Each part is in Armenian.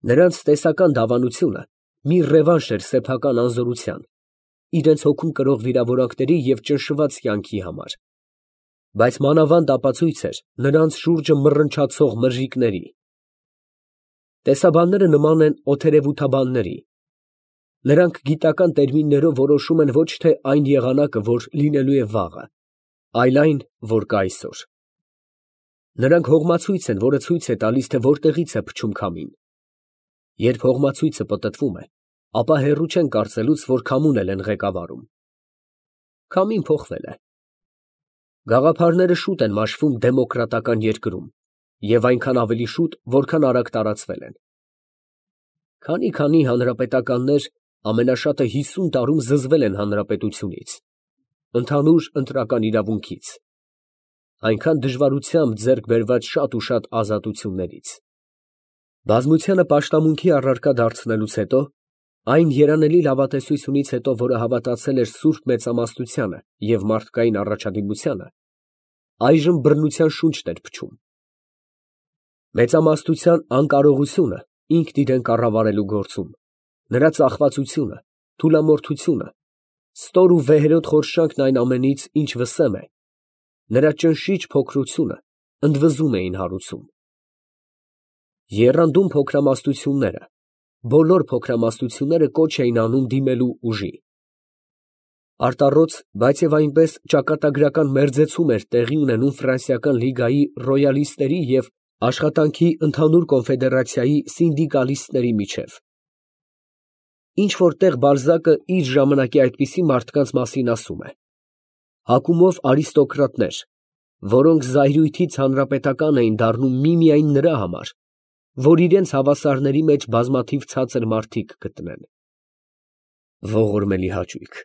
Նրանց տեսական դավանությունը մի ռևանշ էր սեփական անզորության, իրենց հոգում կրող վիրավորանքների և ճնշված կյանքի համար, բայց մանավանդ ապացույց էր նրանց շուրջը մռնչացող մրրիկների։ Տեսաբանները նման են օթերևութաբանների. նրանք գիտական տերմիններով որոշում են ոչ թե այն եղանակը, որ լինելու է վաղը, այլ այն, որ կա այսօր։ Նրանք հողմացույց են, որը ցույց է տալիս, թե որտեղից է փչում քամին։ Երբ հողմացույցը պտտվում է, ապա հեռու չեն կարծելուց, որ քամուն էլ են ղեկավարում։ Քամին փոխվել է։ Գաղափարները շուտ են մաշվում դեմոկրատական երկրում և այնքան ավելի շուտ, որքան արագ տարածվել են։ Քանի հանրապետականներ ամենաշատը 50 տարում զզվել են հանրապետությունից, ընդհանուր ընտրական իրավունքից, այնքան դժվարությամբ ձեռք բերված շատ ու շատ ազատություններից։ Բազմությանը պաշտամունքի առարկա դարձնելուց հետո, այն երանելի լավատեսությունից հետո, որը հավատացել էր սուրբ մեծամասնությանը և մարդկային առաջադիմությանը, այժմ բռնության շունչն էր փչում։ Մեծամասնության անկարողությունը ինքն իրեն կառավարելու գործում, նրա ծախվածությունը, թուլամորթությունը, ստոր ու վեհերոտ խորշանքն այն ամենից, ինչ վսեմ է, նրա ճնշիչ փոքրությունը ընդվզում էին հարուցում։ Եռանդուն փոքրամասնությունները, բոլոր փոքրամասնությունները կոչ էին անում դիմելու ուժի։ Արտառոց, բայց և այնպես ճակատագրական մերձեցում էր տեղի ունենում Ֆրանսիական լիգայի ռոյալիստների և Աշխատանքի ընդհանուր կոնֆեդերացիայի սինդիկալիստների միջև։ Ինչ֊որ տեղ Բալզակը իր ժամանակի այդպիսի մարդկանց մասին ասում է. հակումով արիստոկրատներ, որոնք զայրույթից հանրապետական էին դառնում միմիայն նրա համար, որ իրենց հավասարների մեջ բազմաթիվ ցածր մարդիկ գտնեն։ Ողորմելի հաճույք,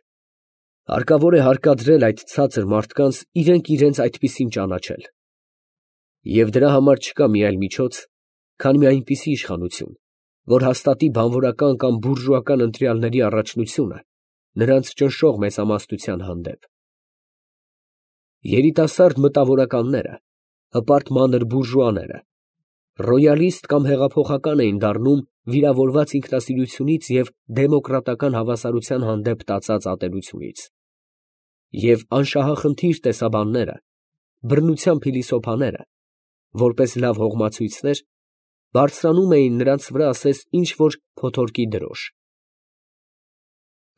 հարկավոր է հարկադրել այդ ցածր մարդկանց իրենց այդպիսին ճանաչել։ Եվ դրա համար չկա մի այլ միջոց, քան մի այնպիսի իշխանություն, որ հաստատի բանվորական կամ բուրժուական ընտրյալների առաջնությունը նրանց ճնշող մեծամասնության հանդեպ։ Երիտասարդ մտավորականները, հպարտ մանր բուրժուաները, ռոյալիստ կամ հեղափոխական էին դառնում վիրավորված ինքնասիրությունից և դեմոկրատական հավասարության հանդեպ տածած ատելությունից։ Եվ անշահախնդիր տեսաբանները, բռնության փիլիսոփաները, որպես լավ հողմացույցներ, բարձրանում էին նրանց վրա ասես ինչ֊որ փոթորկի դրոշ։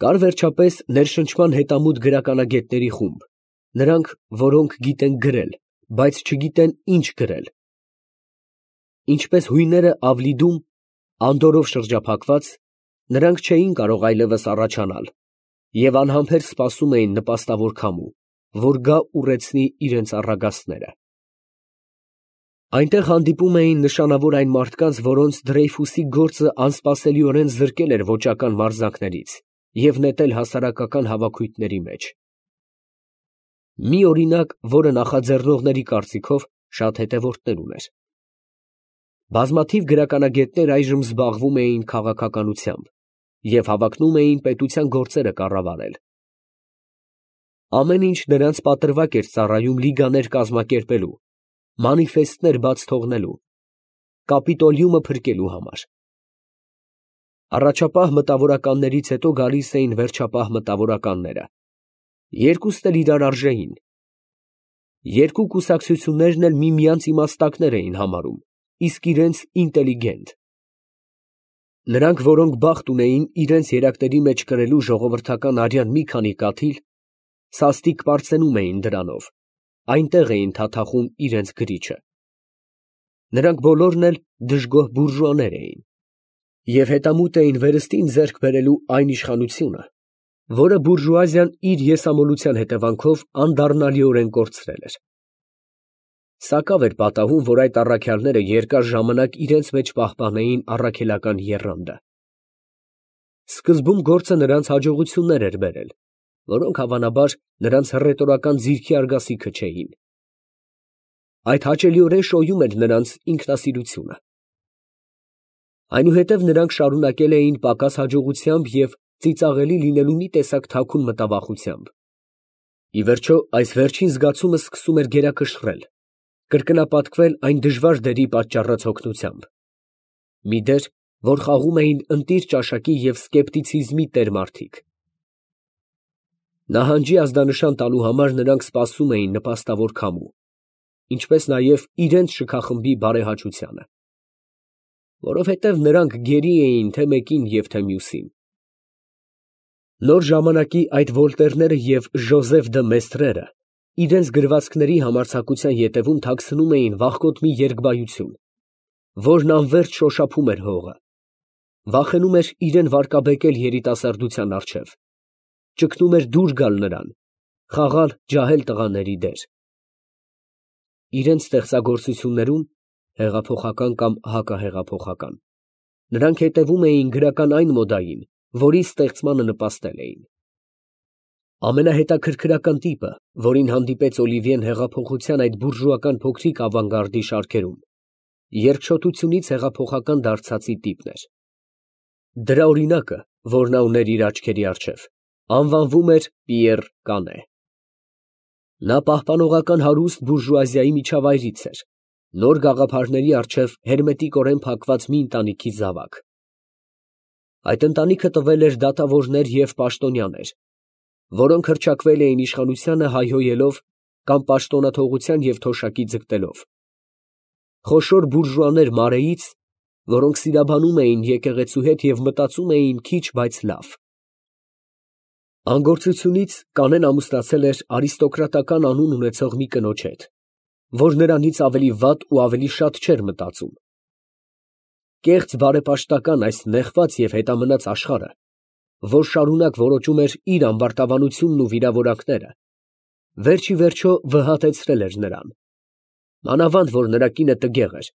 Կար վերջապես ներշնչման հետամուտ գրականագետների խումբ, նրանք, որոնք գիտեն գրել, բայց չգիտեն ինչ գրել։ Ինչպես հույները Ավլիդում, անդորրով շրջափակված, նրանք չէին կարող այլևս առաջանալ և անհամբեր սպասում էին նպաստավոր քամու, որ գա ուռեցնի իրենց առագաստները։ Այնտեղ հանդիպում էին նշանավոր այն մարդկանց, որոնց Դրեյֆուսի գործը անսպասելիորեն զրկել էր ոճական մարզանքներից և նետել հասարակական հավաքույթների մեջ։ Մի օրինակ, որը նախաձեռնողների կարծիքով շատ հետևորդներ ուներ։ Բազմաթիվ գրականագետներ այժմ զբաղվում էին քաղաքականությամբ և հավակնում էին պետության գործերը կառավարել։ Ամեն ինչ նրանց պատրվակ էր ծառայում լիգաներ կազմակերպելու, մանիֆեստներ բաց թողնելու, կապիտոլիումը փրկելու համար։ Առաջապահ մտավորականներից հետո գալիս էին վերջապահ մտավորականները, երկուսն էլ իրար արժեին։ Երկու կուսակցություններն էլ միմյանց իմաստակներ էին համարում, իսկ իրենց ինտելիգենտ։ Նրանք, որոնք բախտ ունեին իրենց երակների մեջ կրելու ժողովրդական արյան մի քանի կաթիլ, սաստիկ պարծենում էին դրանով, այնտեղ էին թաթախում իրենց գրիչը։ Նրանք բոլորն էլ դժգոհ բուրժուաներ էին և հետամուտ էին վերստին ձեռք բերելու այն իշխանությունը, որը բուրժուազիան իր եսամոլության հետևանքով անդառնալիորեն կորցրել էր։ Սակավ էր պատահում, որ այդ առաքյալները երկար ժամանակ իրենց մեջ պահպանեին առաքելական եռանդը։ Սկզբում գործը նրանց հաջողություններ էր բերել, որոնք հավանաբար նրանց հռետորական ձիրքի արգասիքը չէին։ Այդ հաճելիորեն շոյում էր նրանց ինքնասիրությունը։ Այնուհետև նրանք շարունակել էին պակաս հաջողությամբ և ծիծաղելի լինելու մի տեսակ թաքուն մտավախությամբ։ Ի վերջո, այս վերջին զգացումը սկսում էր գերակշռել, կրկնապատկվել այն դժվար դերի պատճառած հոգնությամբ։ Մի դեր, որ խաղում էին ընտիր ճաշակի և սկեպտիցիզմի տեր մարդիկ։ Նահանջի ազդանշան տալու համար նրանք սպասում էին նպաստավոր քամու, ինչպես նաև իրենց շքախմբի բարեհաճությանը, որովհետև նրանք գերի էին թե մեկին և թե մյուսին։ Նոր ժամանակի այդ Վոլտերները և Ժոզեֆ դը Մեստրերը իրենց գրվածքների համարձակության ետևում թաքցնում էին վախկոտ մի երկբայություն, որն անվերջ շոշափում էր հողը, վախենում էր իրեն վարկաբեկել երիտասարդության առջև, ճգնում էր դուր գալ նրան, խաղալ ջահել տղաների դեր։ Իրենց ստեղծագործություններում, հեղափոխական կամ հակահեղափոխական, նրանք հետևում էին գրական այն մոդային, որի ստեղծմանը նպաստել էին։ Ամենահետաքրքրական տիպը, որին հանդիպեց Օլիվիեն հեղափոխության այդ բուրժուական փոքրիկ ավանգարդի շարքերում, երկչոտությունից հեղափոխական դարձածի տիպն էր։ Դրա օրինակը, որ նա ուներ իր աչքերի առջև, անվանվում էր Պիեռ Կանե։ Նա պահպանողական հարուստ բուրժուազիայի միջավայրից էր, նոր գաղափարների առջև հերմետիկորեն փակված մի ընտանիքի զավակ։ Այդ ընտանիքը տվել էր դատավորներ և պաշտոնյաներ, որոնք հռչակվել էին իշխանությանը հայհոյելով կամ պաշտոնաթողության և թոշակի ձգտելով, խոշոր բուրժուաներ Մարեից, որոնք սիրաբանում էին եկեղեցու հետ և մտածում էին քիչ, բայց լավ։ Անգործությունից Կանեն ամուսնացել էր արիստոկրատական անուն ունեցող մի կնոջ հետ, որ նրանից ավելի վատ ու ավելի շատ չէր մտածում։ Կեղծ բարեպաշտական այս նեղված և հետամնաց աշխարհը, որ շարունակ որոճում էր իր ամբարտավանությունն ու վիրավորանքները, վերջ ի վերջո վհատեցրել էր նրան, մանավանդ որ նրա կինը տգեղ էր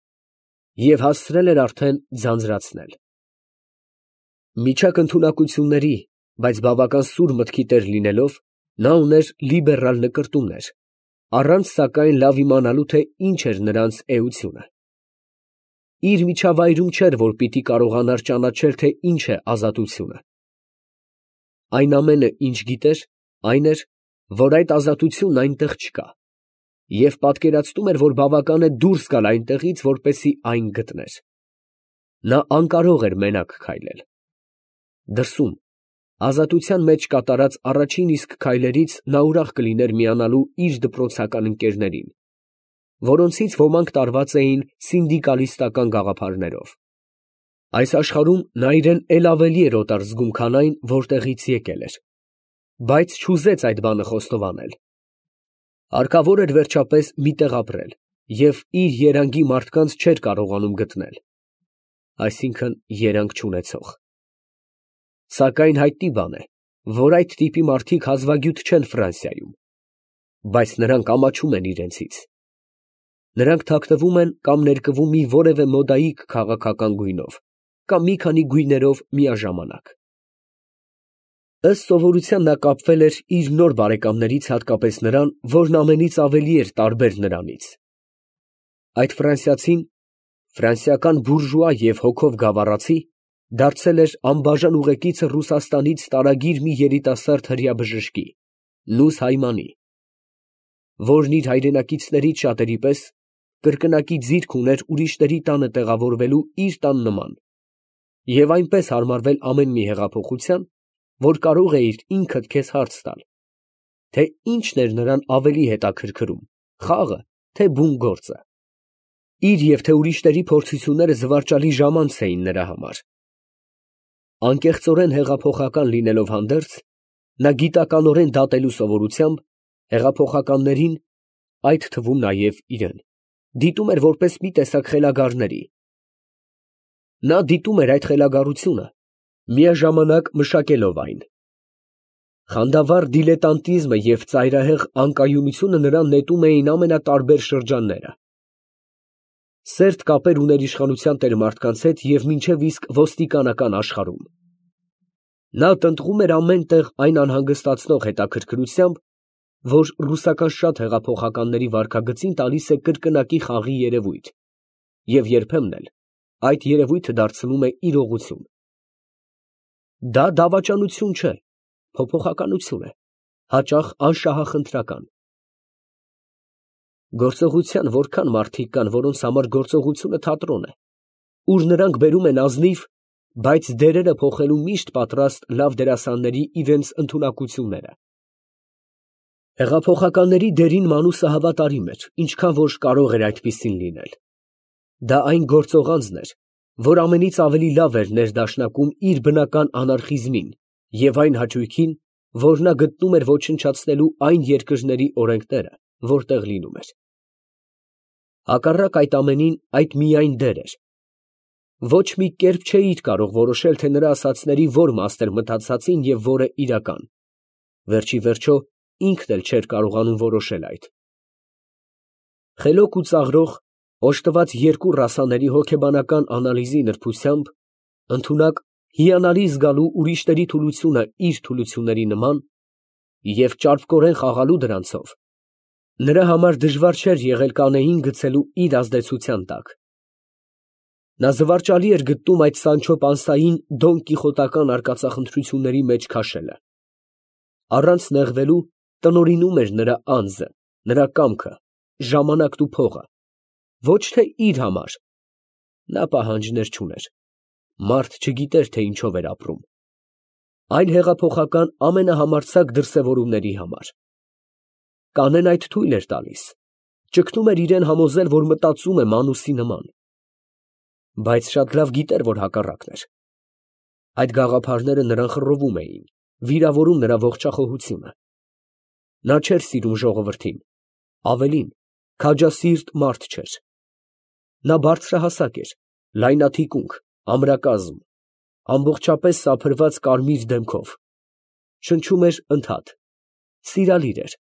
և հասցրել էր արդեն ձանձրացնել։ Միջակ ընդունակությունների, բայց բավական սուր մտքի տեր լինելով, նա ուներ լիբերալ նկրտումներ, առանց սակայն լավ իմանալու, թե ինչ էր նրանց էությունը։ Իր միջավայրում չէր, որ պիտի կարողանար ճանաչել, թե ինչ է ազատությունը։ Այն ամենը, ինչ գիտեր, այն էր, որ այդ ազատությունն այնտեղ չկա, և պատկերացնում էր, որ բավական է դուրս գալ այնտեղից, որպեսզի այն գտներ։ Նա անկարող էր մենակ քայլել։ Դրսում, ազատության մեջ կատարած առաջին իսկ քայլերից նա ուրախ կլիներ միանալու իր դպրոցական ընկերներին, որոնցից ոմանք տարված էին սինդիկալիստական գաղափարներով։ Այս աշխարհում նա իրեն էլ ավելի էր օտար զգում, քան այն, որտեղից եկել էր, բայց չուզեց այդ բանը խոստովանել։ Հարկավոր էր վերջապես մի տեղ ապրել և իր երանգի մարդկանց չէր կարողանում գտնել, այսինքն երանգ չունեցող։ Սակայն հայտնի բան է, որ այդ տիպի մարդիկ հազվագյուտ չեն Ֆրանսիայում, բայց նրանք ամաչում են իրենցից։ Նրանք թաքնվում են կամ ներկվում մի որևէ մոդայիկ քաղաքական գույնով, կամ մի քանի գույներով միաժամանակ։ Ըստ սովորության նա կապվել էր իր նոր բարեկամներից հատկապես նրան, որն ամենից ավելի էր տարբեր նրանից։ Այդ ֆրանսիացին, ֆրանսիական բուրժուա և հոգով գավառացի, դարձել էր անբաժան ուղեկիցը Ռուսաստանից տարագիր մի երիտասարդ հրեա բժշկի՝ Նուս Հայմանի, որն իր հայրենակիցներից շատերի պես կրկնակի ձիրք ուներ ուրիշների տանը տեղավորվելու իր տան նման և այնպես հարմարվել ամեն մի հեղափոխության, որ կարող էիր ինքդ քեզ հարց տալ, թե ինչն էր նրան ավելի հետաքրքրում՝ խաղը, թե բուն գործը։ Իր և թե ուրիշների փորձությունները զվարճալի ժամանց էին նրա համար։ Անկեղծորեն հեղափոխական լինելով հանդերձ, նա գիտականորեն դատելու սովորությամբ հեղափոխականներին, այդ թվում նաև իրեն, դիտում էր որպես մի տեսակ խելագարների։ Նա դիտում էր այդ խելագարությունը, միաժամանակ մշակելով այն։ Խանդավառ դիլետանտիզմը և ծայրահեղ անկայունությունը նրան նետում էին ամենատարբեր շրջանները։ Սերտ կապեր ուներ իշխանության տերմարդկանց հետ և մինչև իսկ ոստիկանական աշխարհում։ Նա տնտղում էր ամեն տեղ այն անհանգստացնող հետաքրքրությամբ, որ ռուսական շատ հեղափոխականների վարքագծին տալիս է կրկնակի խաղի երևույթ և երբեմն էլ այդ երևույթը դարձնում է իրողություն։ Դա դավաճանություն չէ, փոփոխականություն է, հաճախ անշահախնդրական։ Գործողության որքան մարդիկ կան, որոնց համար գործողությունը թատրոն է, ուր նրանք բերում են ազնիվ, բայց դերերը փոխելու միշտ պատրաստ լավ դերասանների իրենց ընդունակությունները։ Հեղափոխականների դերին Մանուսը հավատարիմ էր, ինչքան որ կարող էր այդպիսին լինել։ Դա այն գործողանձն էր, որ ամենից ավելի լավ էր ներդաշնակում իր բնական անարխիզմին և այն հաճույքին, որ նա գտնում էր ոչնչացնելու այն երկրների օրենքները, որտեղ լինում էր։ Հակառակ այդ ամենին, այդ միայն դեր էր։ Ոչ մի կերպ չէիր կարող որոշել, թե նրա ասածների որ մասն էր մտածածին և որը իրական։ Վերջի վերջո ինքն էլ չէր կարողանում որոշել այդ։ Խելոք ու ծաղրող, օժտված երկու ռասաների հոգեբանական անալիզի նրբությամբ, ընդունակ, հիանալի զգալու ուրիշների թուլությունը իր թուլությունների նման և ճարպկորեն խաղալու դրանցով, նրա համար դժվար չէր եղել կանեին գցելու իր ազդեցության տակ։ Նա զվարճալի էր գտնում այդ Սանչո Պանսային դոն կիխոտական արկածախնդրությունների մեջ քաշելը։ Առանց նեղվելու տնօրինում էր նրա անձը, նրա կամքը, ժամանակն ու փողը, ոչ թե իր համար։ Նա պահանջներ չուներ։ Մարդ չգիտեր, թե ինչով էր ապրում։ Այլ հեղափոխական ամենահամարձակ դրսևորումների համար։ Կանեն այդ թույլ էր տալիս, ճգնում էր իրեն համոզել, որ մտածում է Մանուսի նման։ Բայց շատ լավ գիտեր, որ հակառակն էր։ Այդ գաղափարները նրան խռովում էին, վիրավորում նրա ողջախոհությունը։ Նա չէր սիրում ժողովրդին, ավելին, քաջասիրտ մարդ չէր։ Նա բարձրահասակ էր, լայնաթիկունք, ամրակազմ, ամբողջապես սափրված կարմիր դեմքով, շնչում էր ընդհատ, սիրալիր էր,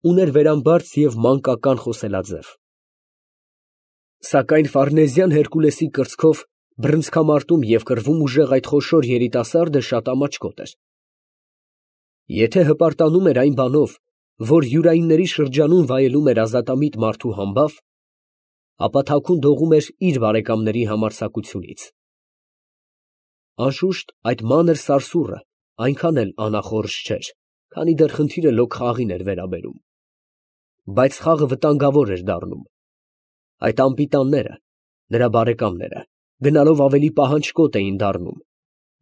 ուներ վերամբարձ և մանկական խոսելաձև։ Սակայն ֆարնեզյան Հերկուլեսի կրծքով բռնցքամարտում և կռվում ուժեղ այդ խոշոր երիտասարդը շատ ամաչկոտ էր։ Եթե հպարտանում էր այն բանով, որ յուրայինների շրջանում վայելում էր ազատամիտ մարդու համբավ, ապա թաքուն դողում էր իր բարեկամների համարձակությունից։ Անշուշտ, այդ մանր սարսուռը այնքան էլ անախորժ չէր, քանի դեռ խնդիրը լոկ խաղին էր վերաբերում։ Բայց խաղը վտանգավոր էր դառնում։ Այդ անպիտանները, նրա բարեկամները, գնալով ավելի պահանջկոտ էին դառնում,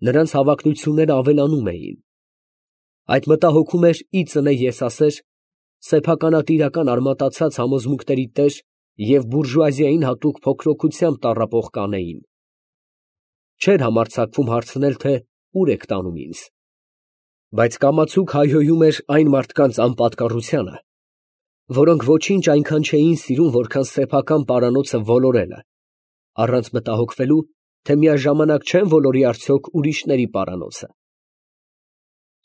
նրանց հավակնությունները ավելանում էին։ Այդ մտահոգում էր ի ծնե եսասեր, սեփականատիրական արմատացած համոզմունքների տեր և բուրժուազիային հատուկ փոքրոքությամբ տառապող կանեին։ Չէր համարձակվում հարցնել, թե ուր եք տանում ինձ։ Բայց կամացուկ հայհոյում էր այն մարդկանց անպատկառությանը, որոնք ոչինչ այնքան չէին սիրում, որքան սեփական պարանոցը ոլորելը, առանց մտահոգվելու, թե միաժամանակ չեն ոլորի արդյոք ուրիշների պարանոցը։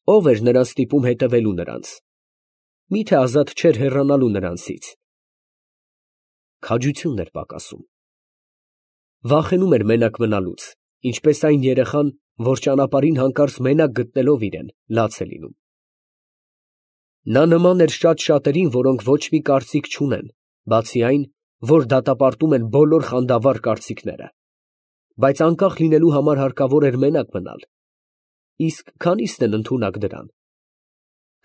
Ո՞վ էր նրան ստիպում հետևելու նրանց։ Մի՞թե ազատ չէր հեռանալու նրանցից։ Քաջությունն էր պակասում։ Վախենում էր մենակ մնալուց, ինչպես այն երեխան, որ ճանապարհին հանկարծ մենակ գտնելով իրեն, լաց է լինում։ Նա նման էր շատ շատերին, որոնք ոչ մի կարծիք չունեն, բացի այն, որ դատապարտում են բոլոր խանդավառ կարծիքները, բայց անկախ լինելու համար հարկավոր էր մենակ մնալ։ Իսկ քանի՞սն են ընդունակ դրան։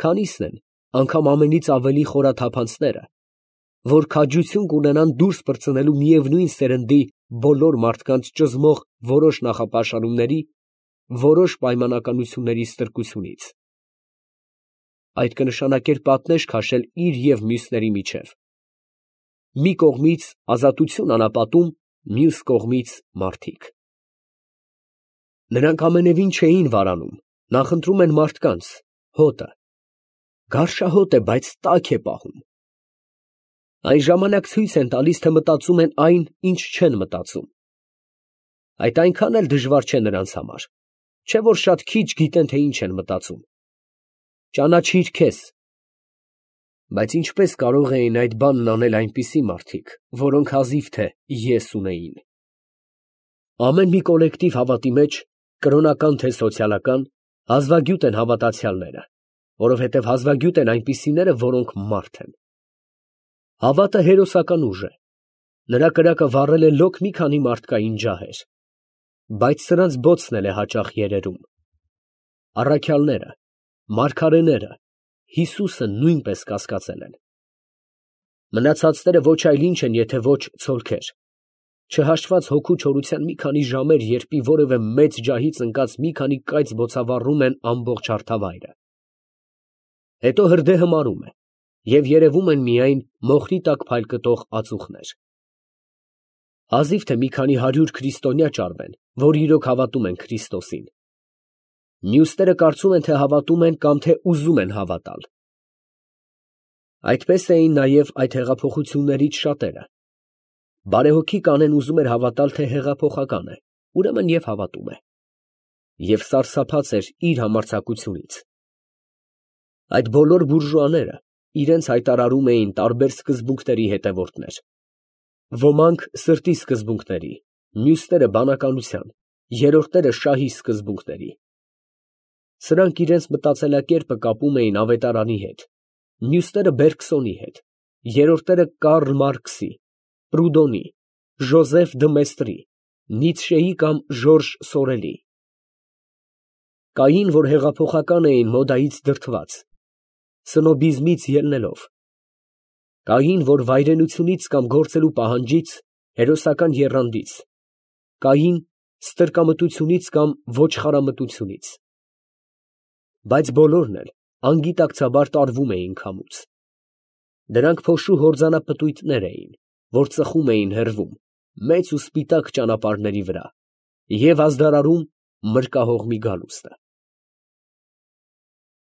Քանի՞սն են, անգամ ամենից ավելի խորաթափանցները, որ քաջություն կունենան դուրս պրծնելու միևնույն սերնդի բոլոր մարդկանց ճզմող որոշ նախապաշարումների, որոշ պայմանականությունների ստրկությունից։ Այդ կնշանակեր պատնեշ քաշել իր և մյուսների միջև։ Մի կողմից ազատություն անապատում, մյուս կողմից մարդիկ։ Նրանք ամենևին չէին վարանում, նախընտրում են մարդկանց, հոտը։ Գարշահոտ է, բայց տաք է պահում։ Այն ժամանակ ցույց են տալիս, թե մտածում են այն, ինչ չեն մտածում։ Այդ այնքան էլ դժվար չէ նրանց համար, չէ՞ որ շատ քիչ գիտեն, թե ինչ են մտածում։ Ճանաչիր քեզ։ Բայց ինչպես կարող էին այդ բանն անել այնպիսի մարդիկ, որոնք հազիվ թե ես ունեին։ Ամեն մի կոլեկտիվ հավատի մեջ, կրոնական թե սոցիալական, հազվագյուտ են հավատացյալները, որովհետև հազվագյուտ են այնպիսիները, որոնք մարդ են։ Հավատը հերոսական ուժ է։ Նրա կրակը վառել է լոկ մի քանի մարդկային ջահեր, բայց սրանց բոցն էլ է հաճախ երերում։ Առաքյալները, մարգարեները, Հիսուսը նույնպես կասկածել են։ Մնացածները ոչ այլ ինչ են, եթե ոչ ցոլքեր։ Չհաշված հոգու չորության մի քանի ժամեր, երբ որևէ մեծ ջահից ընկած մի քանի կայծ բոցավառում են ամբողջ հարթավայրը։ Հետո հրդեհը մարում է, և երևում են միայն մոխրի տակ փայլկտող ածուխներ։ Հազիվ թե մի քանի 100 քրիստոնյա ճարվեն, որ իրոք հավատում են Քրիստոսին։ Մյուսները կարծում են, թե հավատում են կամ թե ուզում են հավատալ։ Այդպես էին նաև այդ հեղափոխություններից շատերը։ Բարեհոգի Կանեն ուզում էր հավատալ, թե հեղափոխական է, ուրեմն և հավատում է, և սարսափած էր իր համարձակությունից։ Այդ բոլոր բուրժուաները իրենց հայտարարում էին տարբեր սկզբունքների հետևորդներ. ոմանք սրտի սկզբունքների, մյուսները բանականության, երրորդները շահի սկզբունքների։ Սրանք իրենց մտածելակերպը կապում էին ավետարանի հետ, մյուսները Բերգսոնի հետ, երրորդները Կարլ Մարքսի, Պրուդոնի, Ժոզեֆ դը Մեստրի, Նիցշեի կամ Ժորժ Սորելի։ Կային, որ հեղափոխական էին մոդայից դրդված, սնոբիզմից ելնելով, կային, որ վայրենությունից կամ գործելու պահանջից, հերոսական եռանդից, կային ստրկամտությունից կամ ոչխարամտությունից, բայց բոլորն էլ անգիտակցաբար տարվում էին քամուց։ Դրանք փոշու հորձանապտույտներ էին, որ ծխում էին հեռվում, մեծ ու սպիտակ ճանապարհների վրա և ազդարարում մրկահողմի գալուստը։